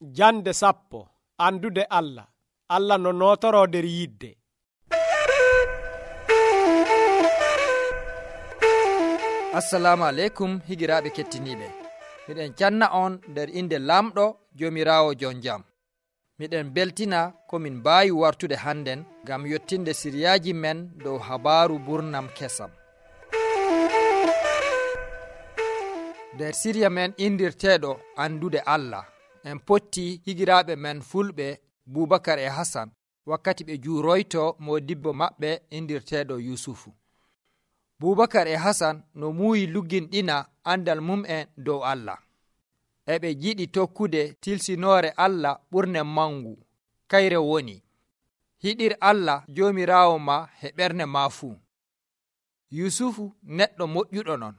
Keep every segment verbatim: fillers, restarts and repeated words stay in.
Jande sappo. Andude Allah. Allah no nootoro nder yidde. Assalamu aleykum higiraaɓe kettiniiɓe. Miɗen canna on nder inde lamɗo Joomiraawo jon jam. Miɗen beltina komin mbaawi wartude hannden ngam yottinde siriyaaji men dow habaaru burnam kesam. Nder siriya men indirteeɗo andude Allah, en potti higiraaɓe men fulɓe Bubakar e Hasan wakkati ɓe juuroyto modibbo maɓɓe indirteeɗo Yusufu. Bubakar e Hasan no muuyi lugginɗina andal mum'en dow Allah. E ɓe jiɗi tokkude tilsinoore Allah ɓurne mangu, kayre woni hiɗir Allah Joomiraawo ma e ɓernde ma fuu. Yusufu neɗɗo moƴƴuɗo non,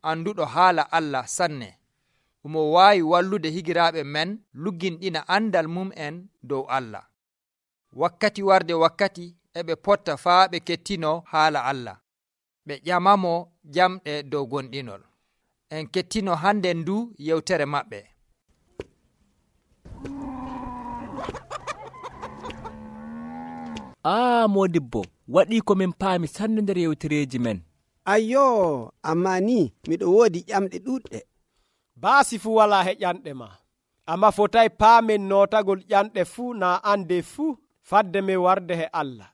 anduɗo haala Allah sanne, omo waawi wallude higiraaɓe men lugginɗina andal mum'en dow Allah. Wakkati warde wakkati e ɓe potta faa ɓe kettino haala Allah, ɓe ƴamamo jamɗe dow gonɗinol. En kettino hande ndu yewtere maɓɓe. Aa modibbo, waɗi ko min paami sanne nder yewtereji men. Ayyo, amma ni miɗo woodi ƴamɗe ɗuɗɗe. Baasi fuu wala he ƴanɗe ma. Amma fotay paamen nootagol ƴanɗe fuu naa ande fuu fadde men warde he Allah.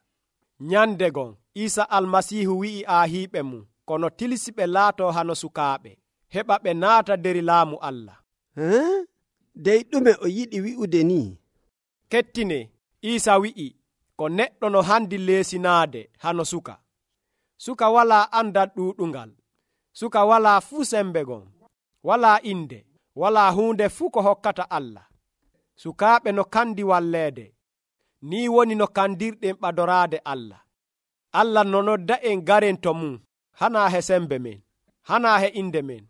Nyande gon Isa almasihu wi'i aahiɓe mum kono tilsiɓe laato hano sukaaɓe heɓa ɓe naata nder laamu Allah. Huh? Dey ɗume o yiɗi wi'ude ni? Kettine, Isa wi'i ko neɗɗo no handi leesinaade hano suka. Suka walaa andal ɗuuɗungal. Suka walaa fuu sembe gon. Walaa inde. Walaa huunde fuu ko hokkata Allah. Sukaaɓe no kandi walleede. Ni woni no kandirɗen ɓadoraade Allah. Allah no nodda en garen to mum, hanaa he sembe men, hanaa he inde men,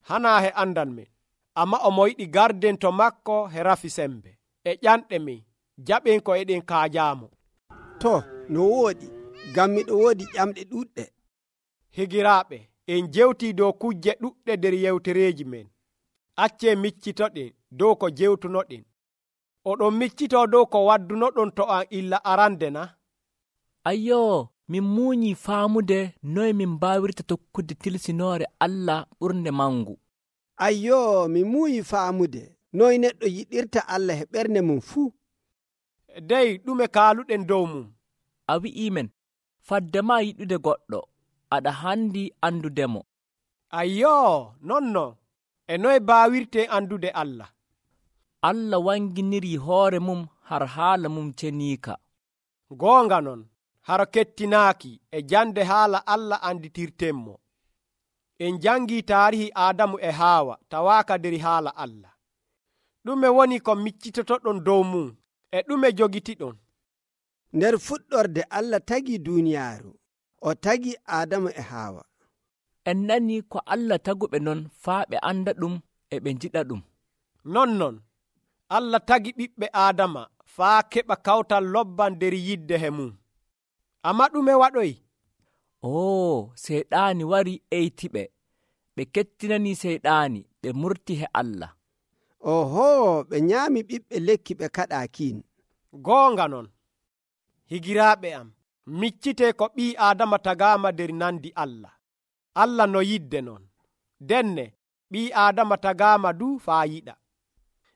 hanaa he andal men. Amma omo yiɗi garden to makko he rafi sembe. E ƴanɗe men, jaɓen ko eɗen kaajaamo. To, no wooɗi, ngam miɗo woodi ƴamɗe ɗuɗɗe. Higiraaɓe, en jewtii dow kujje ɗuɗɗe nder yewtereeji men. Accee miccitoɗen dow ko jewtunoɗen. Oɗon miccitoo dow ko waddunoɗon to an illa arande na? Ayyo, min muuñii faamude noye min mbaawirta tokkude tilsinoore Allah ɓurnde mangu. Ayyo, mi muuyi faamude noye neɗɗo yiɗirta Allah he ɓernde mum fuu. Dey ɗume kaaluɗen dow mum? A wi'ii men, fadde ma yiɗude goɗɗo, aɗa handi andudemo. Ayyo, nonnon, e noye baawirten andude Allah? Allah wanginirii hoore mum har haala mum ceniika. Goonga non, haro kettinaaki e jande haala Allah anditirtenmo. En jangii taarihi Aadamu e Haawa tawaaka nder haala Allah. Ɗume woni ko miccitotoɗon dow mum e ɗume jogitiɗon? Nder fuɗɗorde Allah tagi duuniyaaru, o tagi Aadamu e Haawa. En nani ko Allah taguɓe non faa ɓe anda ɗum e ɓe njiɗa ɗum. Nonnon, Allah tagi ɓiɓɓe Aadama faa keɓa kawtal lobban nder yidde he mum. Amma ɗume waɗoyi? Oo, seyɗaani wari eytiɓe. Ɓe kettinanii seyɗaani, ɓe murti he Allah. Oho, ɓe nyaami ɓiɓɓe lekki ɓe kaɗaakin. Goonga non, higiraaɓe am, miccitee ko ɓii Aadama tagaama nder nandi Allah. Allah no yidde non. Denne, ɓii Aadama tagaama du faa yiɗa.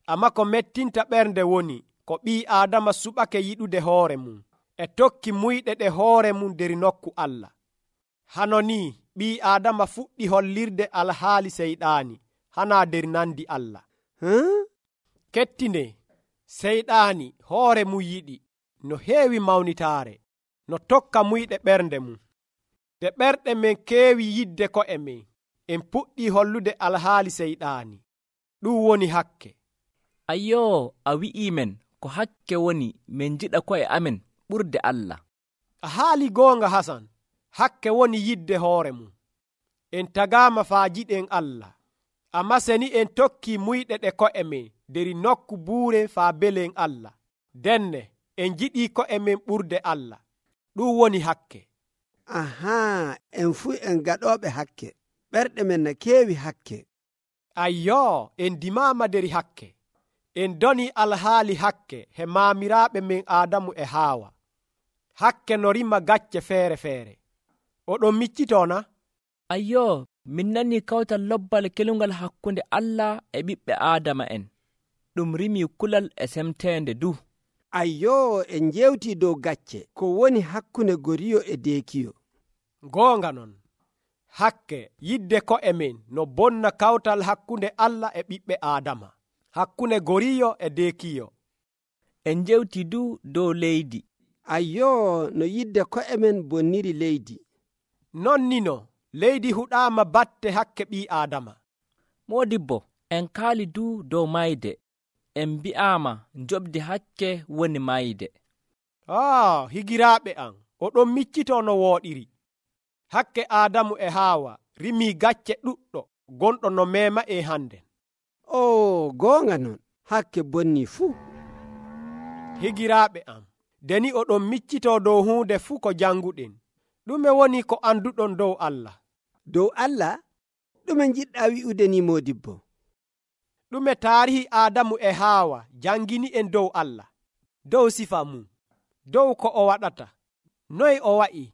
Amma ko mettinta ɓernde woni ko ɓii Aadama suɓake yiɗude hoore mum e tokki muyɗe ɗe hoore mum nder nokku Allah. Hano ni ɓii Aadama fuɗɗi hollirde alhaali seyɗaani hanaa nder nandi Allah. Huh? Kettine, seyɗaani hoore mum yiɗi no heewi mawnitaare, no tokka muyɗe ɓernde mum. Nde ɓerɗe men keewi yidde ko'e men, en puɗɗii hollude alhaali seyɗaani. Ɗum woni hakke. Ayyo, a wi'ii men ko hakke woni min jiɗa ko'e amen ɓurde Allah. A haali goonga Hasan, hakke woni yidde hoore mum. En tagaama faa jiɗen Allah, amma seni en tokkii muyɗe ɗe ko'e men nder nokku buure faa belen Allah. Denne, en jiɗii ko'e men ɓurde Allah. Ɗum woni hakke. Ahaa, en fuu en gaɗooɓe hakke. Ɓerɗe men na keewi hakke. Ayyo, en dimaama nder hakke. en doni alhaali hakke he maamiraaɓe men Aadamu e Haawa. Hakke no rima gacce feere feere. Oɗon miccitona? Ayyoo, min nanii kawtal lobbal kelungal hakkunde Allah e ɓiɓɓe Aadama en. Ɗum rimii kulal e semteende du. Ayyoo, en njewtii dow gacce ko woni hakkunde goriyo e deekiyo. Goonga non, hakke yidde ko'e men no bonna kawtal hakkunde Allah e ɓiɓɓe Aadama, hakkunde goriyo e deekiyo. En njewtii du dow leydi. Ayyoo, no yidde ko'e men bonniri leydi. Non nino, leydi huɗaama batte hakke ɓii Aadama. Moodibbo, en kaali du dow mayde. En mbi'aama njoɓdi hakke woni mayde. Ah, higiraaɓe am, oɗon miccitoo no wooɗiri. Hakke Aadamu e Haawa rimii gacce ɗuɗɗo gonɗo no meema e hande. O, goonga non, hakke bonni fuu. Higiraaɓe am, deni oɗon miccitoo dow huunde fuu ko janguɗen. Ɗume woni ko anduɗon dow Allah? Dow Allah, ɗume njiɗɗaa wi'ude ni moodibbo? Ɗume taarihi Aadamu e Haawa jangini en dow Allah, dow sifa mum, dow ko o waɗata, noy o wa'i?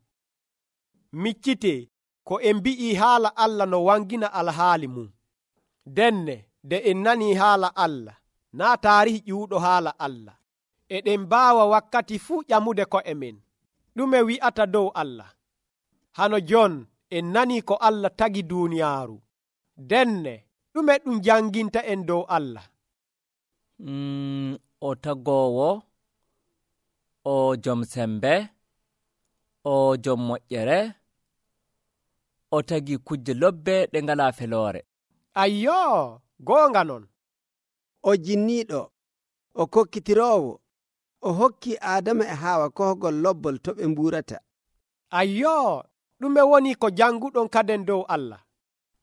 Miccitee ko en mbi'ii haala Allah no wangina alhaali mum. Denne de en nanii haala Allah, naa taarihi ƴuuɗo haala Allah, eɗen mbaawa wakkati fuu ƴamude ko'e men. Ɗume wi'ata dow Allah? Hano jon en nanii ko Allah tagi duuniyaaru. Denne ɗume ɗum janginta en dow Allah? Mm, o tagoowo, o jom sembe, o jom moƴƴere, o tagi kujje lobbe ɗe ngalaa feloore. Ayyoo, goonga non. O jinniiɗo, o kokkitiroowo, o hokki Aadama e Haawa kohgol lobbol to ɓe mbuurata. Ayyoo, ɗume woni ko janguɗon kaden dow Allah?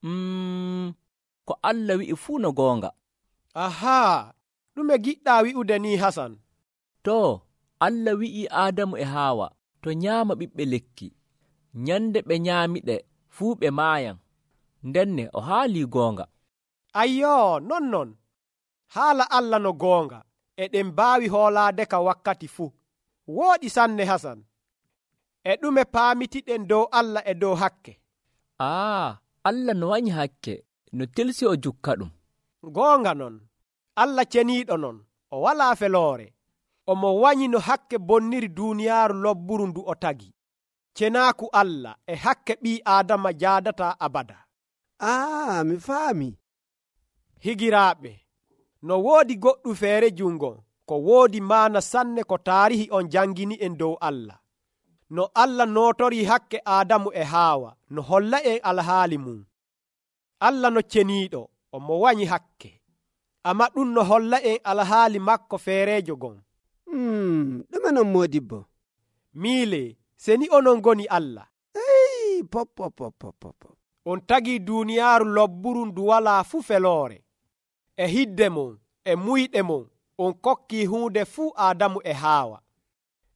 Mm, ko Allah wi'i fuu no goonga. Ahaa, ɗume giɗɗaa wi'ude ni Hasan? To, Allah wi'i Aadamu e Haawa to nyaama ɓiɓɓe lekki, nyande ɓe nyaamiɗe fuu ɓe maayan. Ndenne o haalii goonga. Ayyoo, non non. Haala Allah no goonga, eɗen mbaawi hoolaade ka wakkati fuu. Wooɗi sanne Hasan. E ɗume paamitiɗen dow Allah e dow hakke? Aa, Allah no wañi hakke, no telsi o jukka ɗum. Goonga non, Allah ceniiɗo non, o walaa feloore. Omo wañi no hakke bonniri duuniyaaru lobburu ndu o tagi. Cenaaku Allah e hakke ɓii Aadama jaadataa abada. Aa, mi faami. Higiraaɓe, no woodi goɗɗu feere jungo, ko woodi maana sanne ko taarihi on jangini en dow Allah. No Allah nootori hakke Aadamu e Haawa, no holla en alhaali mum. Allah no ceniiɗo, omo wañi hakke. Amma ɗum no holla en alhaali makko feereejo gon. Hmm, ɗume non moodibbo? Miile, seni onon goni Allah. Ey, pop pop pop pop pop. On tagi duuniyaaru lobburu ndu walaa fuu feloore. E hidde mon, e muyɗe mon, on kokki huunde fuu Aadamu e Haawa.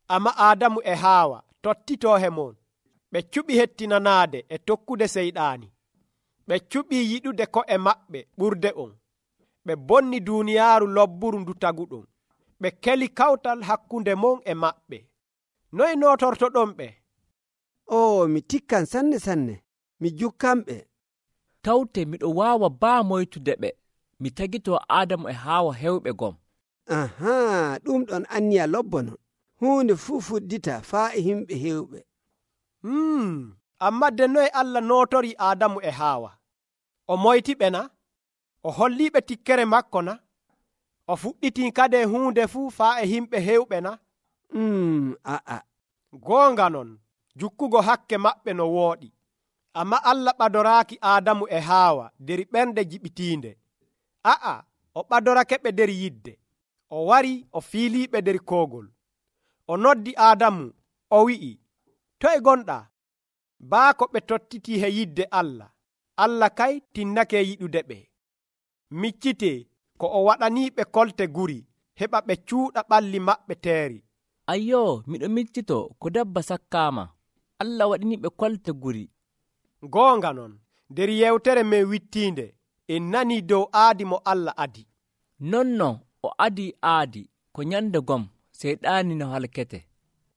Amma Aadamu e Haawa tottitoohe mon, ɓe cuɓi hettinanaade e tokkude seyɗaani. Ɓe cuɓi yiɗude ko'e maɓɓe ɓurde on. Ɓe bonni duuniyaaru lobburu ndu taguɗon. Ɓe keli kawtal hakkunde mon e maɓɓe. Noy nootortoɗon ɓe? O, mi tikkan sanne sanne, mi jukkanɓe. Tawte miɗo waawa baa moytude ɓe, mi tagitoo Aadamu e Haawa hewɓe gom. Ahaa, ɗum ɗon anniya lobbo non. Huunde fuu fuɗdita faa e himɓe hewɓe. Hmm, amma de noye Allah nootori Aadamu e Haawa? O moytiɓe na? O holliiɓe tikkere makko na? O fuɗɗitii kade huunde fuu faa e himɓe hewɓe na? Hmm, a'a. Goonga non, jukkugo hakke maɓɓe no wooɗi. Amma Allah ɓadoraaki Aadamu e Haawa der ɓernde jiɓitiinde. A'a, o ɓadorake ɓe der yidde. O wari o fiiliiɓe der koogol. O noddi Aadamu, o wi'i, toye gonɗaa? Baako ɓe tottitii he yidde Allah. Allah kay tinnake yiɗude ɓe. Miccitee ko o waɗaniiɓe kolte guri, heɓa ɓe cuuɗa ɓalli maɓɓe teeri. Ayyoo, miɗo miccitoo ko dabba sakkaama. Allah waɗaniiɓe kolte guri. Goonga non, nder yewtere men wittiinde, en nanii dow aadi mo Allah adi. Non non, o adi aadi ko nyande gom seyɗaani no halkete.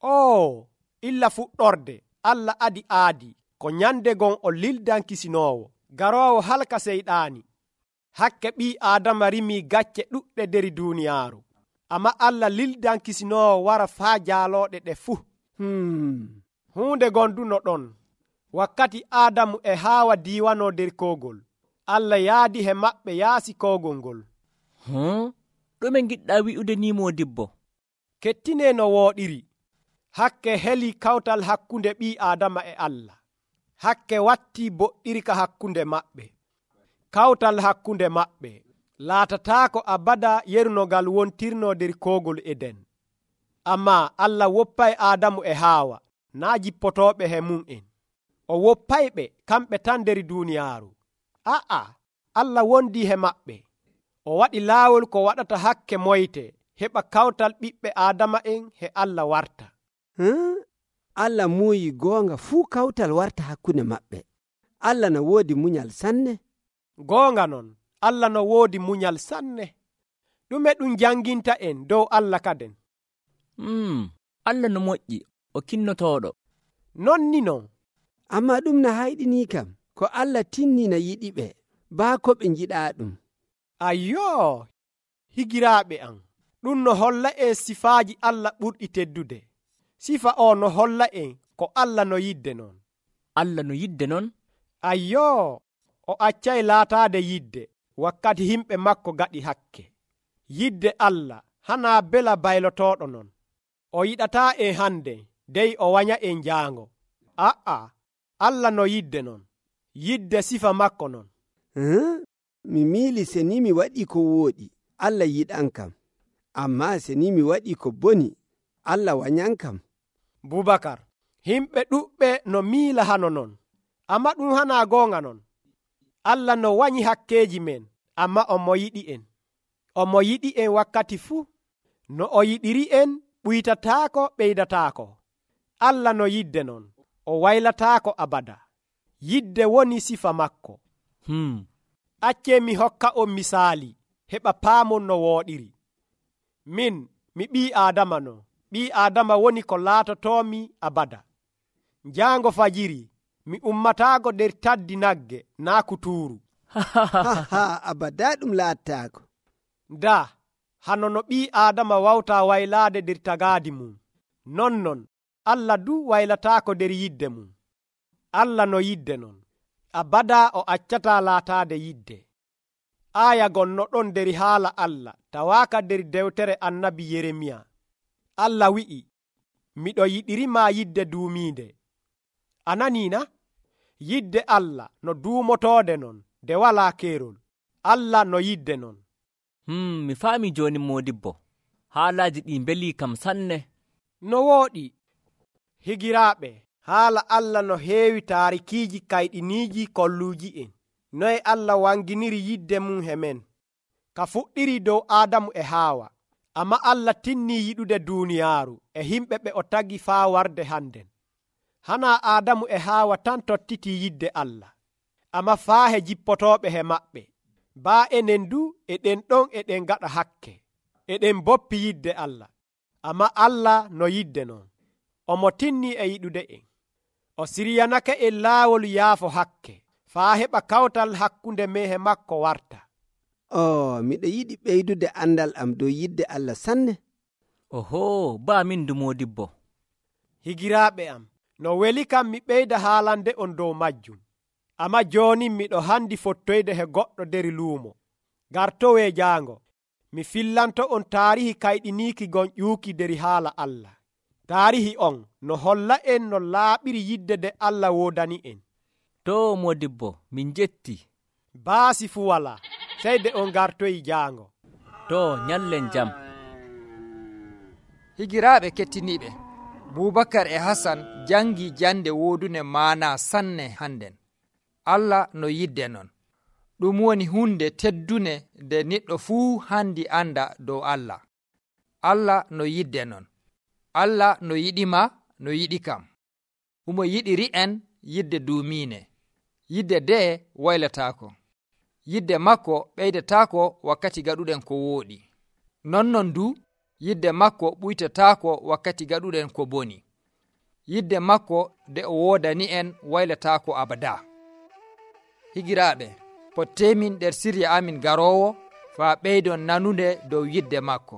o illa fuɗɗorde Allah adi aadi ko nyande gon o lildankisinoowo garoowo halka seyɗaani. Hakke ɓii Aadama rimii gacce ɗuɗɗe der duuniyaaru, amma Allah lildankisinoowo wara faa jaalooɗe ɗe fuu. hmm. Huunde gonduno ɗon wakkati Aadamu e Haawa diiwanoo der koogol, Allah yaadi he maɓɓe yaasi koogol ngol. Hmm? ɗume giɗɗaa wi'ude ni moodibbo? Kettinee no wooɗiri. Hakke heli kawtal hakkunde ɓii Aadama e Allah. Hakke wattii boɗɗirka hakkunde maɓɓe. Kawtal hakkunde maɓɓe laatataako abada yerunogal wontirnoo der koogol Eden. Ammaa Allah woppay Aadamu e Haawa naa jippotooɓe he mum'en. O woppayɓe kamɓe tan der duuniyaaru. Aa, Allah wondii he maɓɓe. O waɗi laawol ko waɗata hakke moyte heɓa kawtal ɓiɓɓe Aadama'en he Allah warta. hmm? Allah muuyi goonga fuu kawtal warta hakkunde maɓɓe. Allah no woodi munyal sanne. Goonga non, Allah no woodi munyal sanne. Ɗume ɗum janginta en dow Allah kaden? Hmm, Allah no moƴƴi, o kinnotooɗo. Non ni non. Amma ɗum no hayɗinii kam ko Allah tinnina yiɗiɓe baa ko ɓe njiɗaa ɗum. Ayyoo, higiraaɓe am, ɗum no holla en sifaaji Allah ɓurɗi teddude. Sifa o no holla en ko Allah no yidde non. Allah no yidde non? Ayyoo, o accay laataade yidde wakkati himɓe makko gaɗi hakke. Yidde Allah hanaa bela baylotooɗo non. O yiɗataa en hande dey o wanya en jaango. Aa, Allah no yidde non. Yidde sifa makko non. hmm? mi miili se ni mi waɗi ko wooɗi Allah yiɗan kam, amma se ni mi waɗi ko boni Allah wanyan kam. Bubakar, himɓe ɗuɓɓe no miila hano non, amma ɗum hanaa goonga non. Allah no wanyi hakkeeji men, amma o mo yiɗi en. O mo yiɗi en wakkati fuu. No o yiɗiri en ɓuytataako ɓeydataako. Allah no yidde non, o waylataako abada. Yidde woni sifa makko. Hmm. Accee mi hokka on misaali heɓa paamon no wooɗiri. Min mi ɓii Aadama no. Ɓii Aadama woni ko laatotoomi abada. Njaango fajiri mi ummataago der taddi nagge naa kutuuru. ha abada ɗum laattaako. Daa hano no ɓii Aadama wawtaa waylaade der tagaadi mum, non non Allah du waylataako der yidde mum. Allah no yidde non, abada o accataa laataade yidde. Aaya gonno ɗon der haala Allah tawaaka der dewtere annabi Yeremiya. Allah wi'i, miɗo yiɗirimaa yidde duumiinde. Ananiina? Yidde Allah no duumotoode non nde walaa keerol. Allah no yidde non. Hmm, mi faami jooni moodibbo. Haalaaji ɗi mbelii kam sanne. No wooɗi. Higiraaɓe, haala Allah no heewi taarikiiji kayɗiniiji kolluuji en. Noye Allah wanginiri yidde mum he men. Ka fuɗɗiri dow Aadamu e Haawa. Amma Allah tinnii yiɗude duuniyaaru e himɓe ɓe o tagi faa warde hannden. Hanaa Aadamu e Haawa tan tottitii yidde Allah, amma faa he jippotooɓe he maɓɓe. Baa enen du eɗen ɗon eɗen gaɗa hakke, eɗen boppi yidde Allah, amma Allah no yidde non. Omo tinnii e yiɗude en. O siryanake en laawol yaafo hakke, faa heɓa kawtal hakkunde men he makko warta. o miɗo yiɗi ɓeydude andal am dow yidde Allah sanne. Oho, baa min du moodibbo. Higiraaɓe am, no weli kam mi ɓeyda haalande on dow majjum. Amma jooni miɗo handi fottoyde he goɗɗo der luumo. Gartowe jaango, mi fillanto on taarihi kayɗiniiki gon ƴuuki der haala Allah. Taarihi on no holla en no laaɓiri yidde de Allah woodani en. To moodibbo, min jetti. Baasi fu wala, seyde on gartoyi jaango. To nyallen jam. Higiraaɓe kettiniiɓe, Bubakar e Hasan jangi jande woodune maana sanne hannden. Allah no yidde non. Ɗum woni hunde teddune nde neɗɗo fuu handi anda dow Allah. Allah no yidde non. Allah no yiɗima, no yiɗi kam. Umo yiɗiri en yidde duumiine. Yidde de waylataako. Yidde makko ɓeydataako wakkati gaɗuɗen ko wooɗi. nonnon du yidde makko ɓuytataako wakkati gaɗuɗen ko boni. Yidde makko nde o woodani en waylataako abada. Higiraaɓe, pottemin nder sirya amin garoowo faa ɓeydon nanunde dow yidde makko.